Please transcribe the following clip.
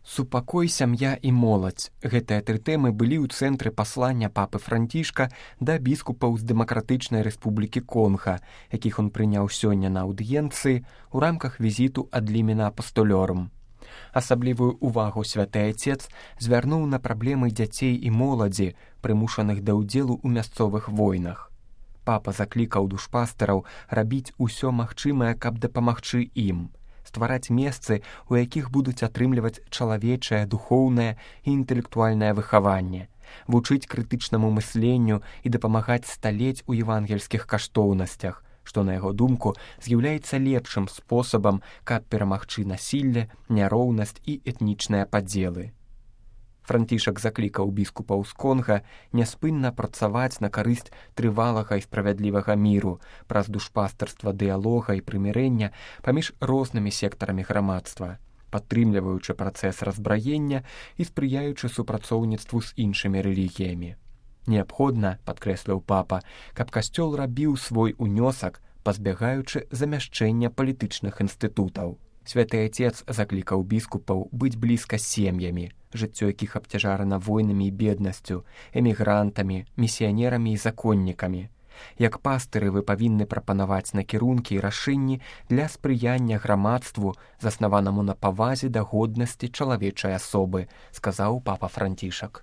Супакой, сям'я і моладзь. Гэтыя тры тэмы былі ў цэнтры паслання папы Францішка да біскупаў з Дэмакратычнай Рэспублікі Конга, якіх ён прыняў сёння на аўдыенцыі ў рамках візіту ад лімена апостолёрум. Асаблівую ўвагу святы Айцец звярнуў на праблемы дзяцей і моладзі, прымушаных да ўдзелу ў мясцовых войнах. Папа заклікаў душпастараў рабіць усё магчымае, каб дапамагчы ім, ствараць месцы, у якіх будуць атрымліваць чалавечае, духоўнае і інтэлектуальнае выхаванне, вучыць крытычнаму мысленню і дапамагаць сталець у евангельскіх каштоўнасцях, што, на яго думку, з'яўляецца лепшым спосабам, каб перамагчы насілле, няроўнасць і этнічныя падзелы. Францішак заклікаў біскупаў з Конга няспынна працаваць на карысць трывалага і справядлівага міру праз душпастарства дыялога і прымірэння паміж рознымі сектарамі грамадства, падтрымліваючы працэс разбраення і спрыяючы супрацоўніцтву з іншымі рэлігіямі. Неабходна, падкрэсліў папа, каб касцёл рабіў свой унёсак, пазбягаючы замяшчэння палітычных інстытутаў. Святы Айцец заклікаў біскупаў быць блізка з сем'ямі, жыццё якіх абцяжарана войнамі і беднасцю, эмігрантамі, місіянерамі і законнікамі. Як пастыры вы павінны прапанаваць накірункі і рашэнні для спрыяння грамадству, заснаванаму на павазе да годнасці чалавечай асобы, сказаў папа Францішак.